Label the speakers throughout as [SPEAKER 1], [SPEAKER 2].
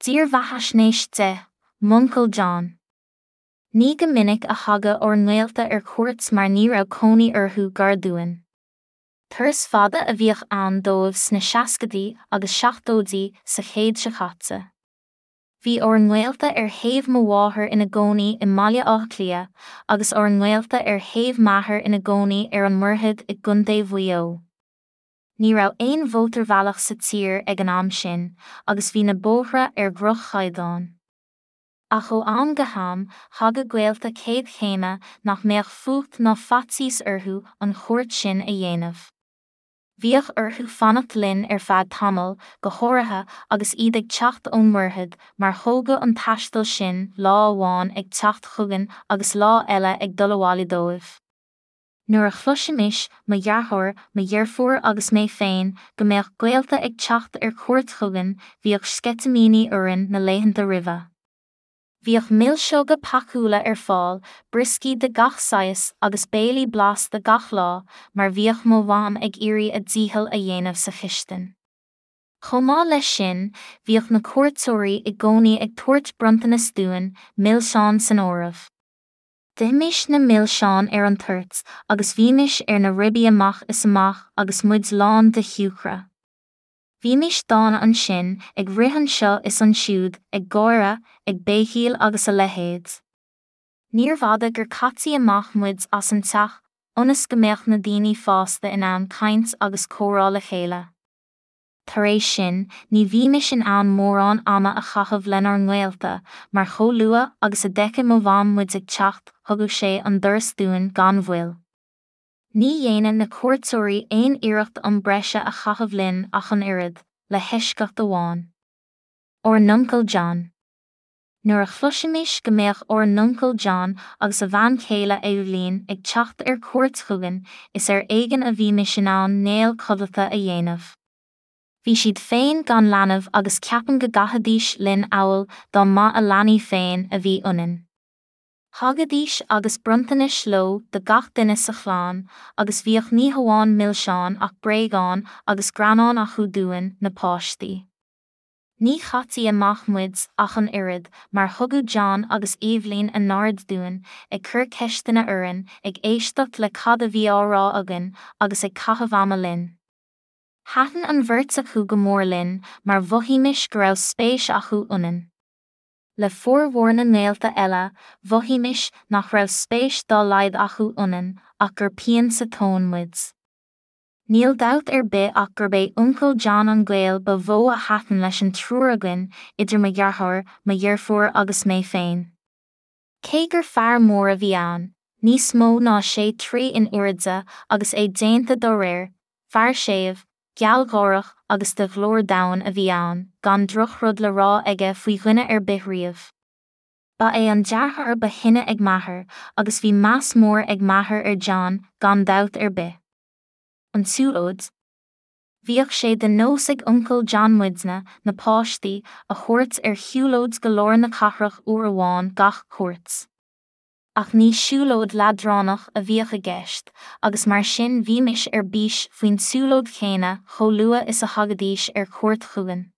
[SPEAKER 1] Dírbheathaisnéis 10, M'Uncail John. Ní go minic a thagadh ár ngaolta ar cuairt mar ní raibh cónaí orthu gar dúinn. Turas fada a bhíodh ann dóibh sna seascaidí agus seachtóidí sa chéad seo caite. Bhí ár ngaolta ar thaobh mo mháthar ina gcónaí i mBaile Átha Cliath agus ár ngaolta ar thaobh m'athar ina gcónaí ar an Mhuirthead i gContae Mhaigh Eo. Ní raibh aon mhótarbhealach sa tír ag an am sin agus bhí na bóithre ar dhroch-chaighdeán. Ach ó am go ham, thagadh gaolta céad chéime nach mbeadh fuacht ná faitíos orthu an chuairt sin a dhéanamh. Bhíodh orthu fanacht linn ar feadh tamaill, go háirithe agus iad ag teacht ón Mhuirthead, mar thógadh an taisteal sin lá amháin ag teacht chugainn agus lá eile ag dul abhaile dóibh. Nuair a chloisimis, mo dheartháir, mo dheirfiúr agus mé féin, go mbeadh gaolta ag teacht ar cuairt chugainn, bhíodh sceitimíní orainn na laethanta roimhe. Bhíodh milseoga pacúla ar fáil, brioscaí de gach saghas agus béilí blasta gach lá, mar bhíodh mo mham ag iarraidh a dícheall a dhéanamh sa chistin. Chomh maith leis sin, bhíodh na cuairteoirí i gcónaí ag tabhairt bronntanas dúinn, milseáin san áireamh. D'ithimis na milseáin ar an toirt agus bhímis ar na ribí amach is amach agus muid lán de shiúcra. Bhímis dána ansin, ag rith anseo is ansiúd, ag gáire, ag béicíl agus a leithéid. Níorbh fhada gur caití amach muid as an teach ionas go mbeadh na daoine fásta in ann caint agus comhrá le chéile. Tar éis sin, ní bhímis in ann mórán ama a chaitheamh lenár ngaolta, mar chomh luath agus a d'fheiceadh mo mham muid ag teacht, thugadh sé an doras dúinn gan mhoill. Ní dhéanadh na cuairteoirí aon iarracht am breise a chaitheamh linn ach an oiread, le heisceacht amháin. Ár nUncail John. Nuair a chloisimis go mbeadh ár nUncail John agus a bhean chéile Eibhlín ag teacht ar cuairt chugainn, is ar éigean a bhímis in ann néal codlata a dhéanamh. Bhí siad féin gan leanbh agus ceapaim go gcaithfidís linn amhail dá mba a leanaí féin a bhí ionainn. Thagaidís agus bronntanais leo do gach duine sa chlann agus bhíodh ní hamháin milseáin ach bréagáin agus greannáin acu dúinn, na páistí. Ní chaití amach muid ach an oiread, mar thugadh John agus Eibhlín a n-aird dúinn, ag cur ceisteanna orainn, ag éisteacht le cad a bhí á rá againn agus ag caitheamh ama linn. Thaitin an bheirt acu go mór linn mar mhothaímis go raibh spéis acu ionainn. Le formhór na ngaolta eile, mhothaímis nach raibh spéis dá laghad acu ionainn ach gur pian sa tóin muid. Níl dabht ar bith ach gurb é Uncail John an gaol ba mhó a thaitin leis an triúr againn, idir mo dheartháir, mo dheirfiúr agus mé féin. Cé gur fear mór a bhí ann, níos mó ná sé troigh in airde agus é déanta dá réir, fear séimh, gealgháireach agus de ghlór domhain a bhí ann, gan drochrud le rá aige faoi dhuine ar bith riamh. Ba é an deartháir ba shine ag m'athair, agus bhí meas mór ag m'athair ar John, gan dabht ar bith. An tsiúlóid. Bhíodh sé de nós ag Uncail John muidne, na páistí, a thabhairt ar shiúlóid go lár na cathrach uair amháin gach cuairt. Ach ní siúlóid leadránach a bhíodh i gceist, agus mar sin bhímis ar bís faoin tsiúlóid chéanna chomh luath is a thagaidís ar cuairt chugainn.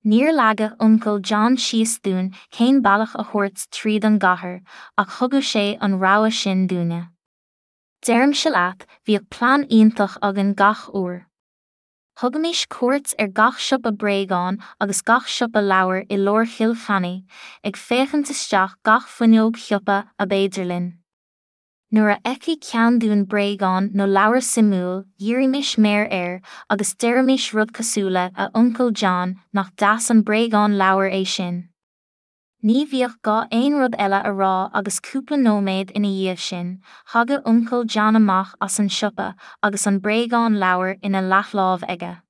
[SPEAKER 1] Níor leagadh Uncail John síos dúinn cén bealach a thabhairt tríd an gcathair, ach thugadh sé an rogha sin dúinne. Deirimse leat, bhíodh plean iontach againn gach uair. Thugaimis cuairt ar gach siopa bréagán agus gach siopa leabhar i lár Chill Chainnigh, ag féachaint isteach gach fuinneog shiopa ab fhéidir linn. Nuair a fheicfeadh ceann dúinn bréagán nó leabhar suimiúil, dhírímis méar air agus deirimis rud cosúil le 'A Uncail John, nach deas an bréagán leabhair é sin? Ní bhíodh gá aon rud eile a rá agus cúpla nóiméad ina dhiaidh sin, thagadh Uncail John amach as an siopa agus an bréagán leabhar ina leathláimh aige.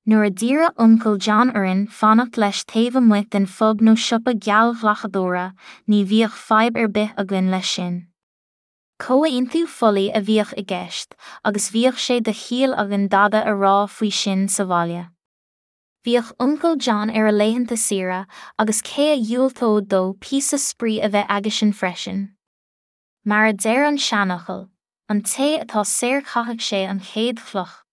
[SPEAKER 1] Nuair a d'iarradh Uncail John orainn fanacht leis taobh amuigh den phub nó siopa geallghlacadóra, ní bhíodh fadhb ar bith againn leis sin. Comhaontú folaigh a bhíodh i gceist agus bhíodh sé de chiall againn dada a rá faoi sin sa bhaile. Bhíodh Uncail John ar a laethanta saoire agus cé a dhiúltódh dó píosa spraoi a bheith aigesean freisin? Mar a deir an seanfhocal, an té atá saor caithfidh sé an chéad chloch.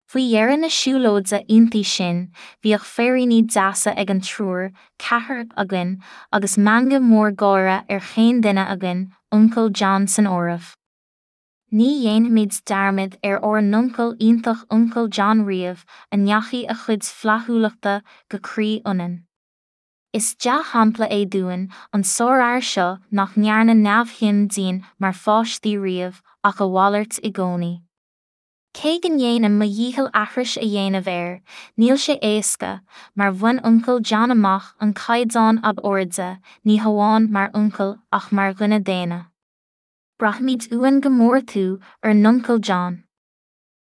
[SPEAKER 1] Faoi dheireadh na siúlóide iontaí sin, bhíodh féiríní deasa ag an triúr, ceathrar againn, agus meangadh mór gáire ar chaon duine againn, Uncail John san áireamh. Ní dhéanfaimid dearmad ar ár n-uncail iontach Uncail John riamh, a ndeachaigh a chuid flaithiúlachta go croí ionainn. Is dea-shampla é dúinn, an sárfhear seo nach ndearna neamhshuim dínn mar pháistí riamh, ach a mhalairt i gcónaí. Cé go ndéanaim mo dhícheall aithris a dhéanamh air, níl sé éasca, mar bhain Uncail John amach an caighdeán ab airde, ní hamháin mar uncail ach mar dhuine daonna. Braithimid uainn go mór tú, ár nUncail John.